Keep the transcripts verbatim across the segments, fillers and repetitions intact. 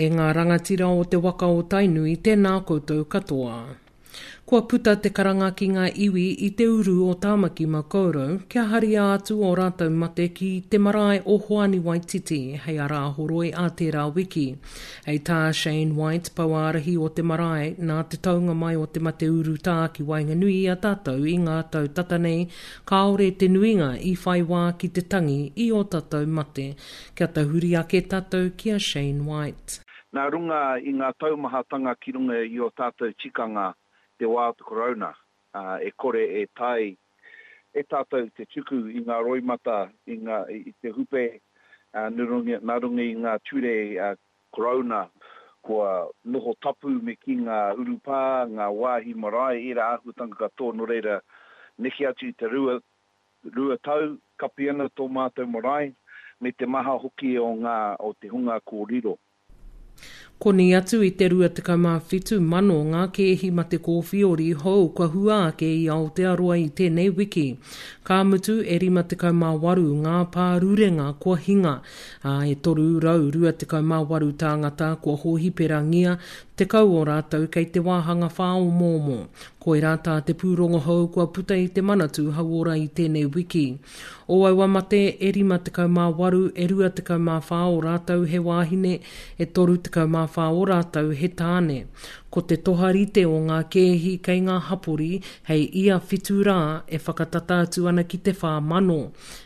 E ngā rangatira o te waka o Tainui, tēnā koutou katoa. Kua puta te karanga ki ngā iwi i te uru o Tāmaki Makaurau kia haria atu ō rātou mate ki te marae o Hoani Waititi hei a Rāhoroi ā tērā wiki. Hei tā Shane White, pouārahi o te marae, nā te taunga mai o te mate urutā ki waenganui i a tātou i ngā tau tata nei, kāore te nuinga i whai wā ki te tangi i ō tātou mate. Kia tahuri ake tātou ki a Shane White. Nā runga i ngā taumahatanga ki runga i ō tātou tikanga te wā o te Karauna, e kore e tae e tātou te tuku i ngā roimata, i ngā, i te hupe, nā runga, nā runga i ngā ture Karauna kua noho tapu me kī ngā urupā, ngā wāhi marae, ērā āhuatanga katoa, nō reira, neke atu i te rua, rua tau, kapi ana tō mātou marae, me te maha hoki o ngā, o te hunga kua riro. Koni atu i te rua tekau mā whitu mano ngā kēhi mate kōwhiori hou kua hua ake i Aotearoa i tēnei wiki. Ka mutu e rima tekau mā waru ngā pārurenga kua hinga, ā, e toru rau rua tekau mā waru tāngata kua hōhiperangia, tekau o rātou kei te wāhanga whāomoomo. Koirā tā te pūrongo hou kua puta i te Manatū Hauora i tēnei wiki. O aua mate e rima tekau mā waru, e rua tekau mā whā o rātou he wāhine, e toru tekau mā whā o rātou he tāne. Ko te toharite o ngā kēhi kei ngā hapori hei ia whitu rā e whakatata atu ana ki te whā mano.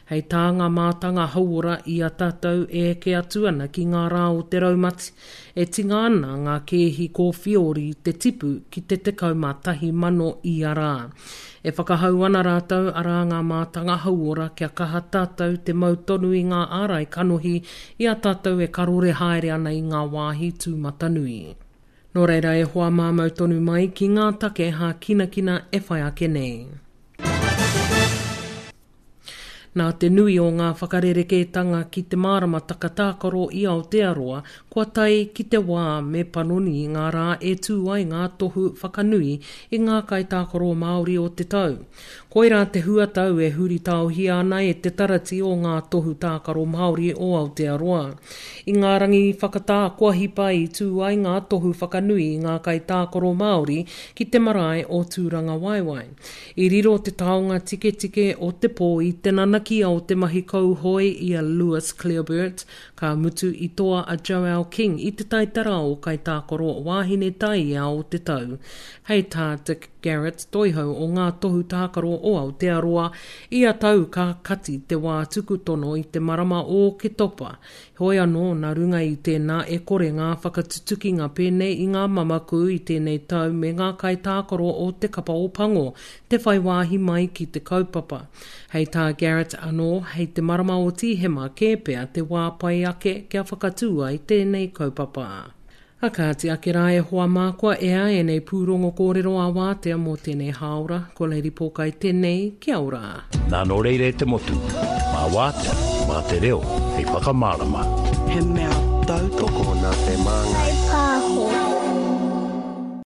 Hei tā ngā mātanga hauora i a tātou e eke atu ana ki ngā rā o te raumati, e tinga ana ngā kēhi kōwhiori te tipu ki te tekau mā tahi mano ia rā. E whakahau ana rātou arā ngā mātanga hauora kia kaha tātou te mau tonu i ngā ārai kanohi i a tātou e karore haere ana i ngā wāhi tūmatanui. Nō reira e hoa māmau tonu mai ki ngā take hākinakina e whai ake nei. Nā te nui o ngā whakarerekētanga ki te maramataka tākaro i Aotearoa, kua tae ki te wā me panoni ngā rā e tū ai ngā tohu whakanui i ngā kaitākaro Māori o te tau. Koirā te huatau e huritaohia ana e te tarati o ngā tohu tākaro Māori o Aotearoa. I ngā rangi whakatā kua hipa i tū ai ngā tohu whakanui i ngā kaitākaro Māori ki te marae o Tūrangawaewae. I riro te taonga tiketike o te pō i te nanakia o te mahi kauhoe i a Lewis Clareburt, ka mutu i toa a Joelle King i te taitara o kaitākaro wāhine taiea o te tau. Hei tā Dick Garrett toihau o ngā tohu tākaro o Aotearoa, ia tau ka kati te wā tuku tono i te marama o Oketopa. Heoi anō, nā runga i tēnā e kore ngā whakatutukinga pēnei i ngā mamaku i tēnei tau me ngā kaitākaro o te kapa o Pango, te whai wāhi mai ki te kaupapa. Hei tā Garrett anō, hei te marama o Tīhema kē pea te wā pai ake kia whakatū ai tēnei kaupapa. A kāti ake rā e hoa mā kua ea ēnei pūrongo kōrero a wātea mō tēnei hāora, ko Lady Pōkai tēnei, kia ora. Nā nō reira e te motu, mā wātea, mā te reo, hei whakamārama. He mea tautoko Tokona te māngai. Pāho.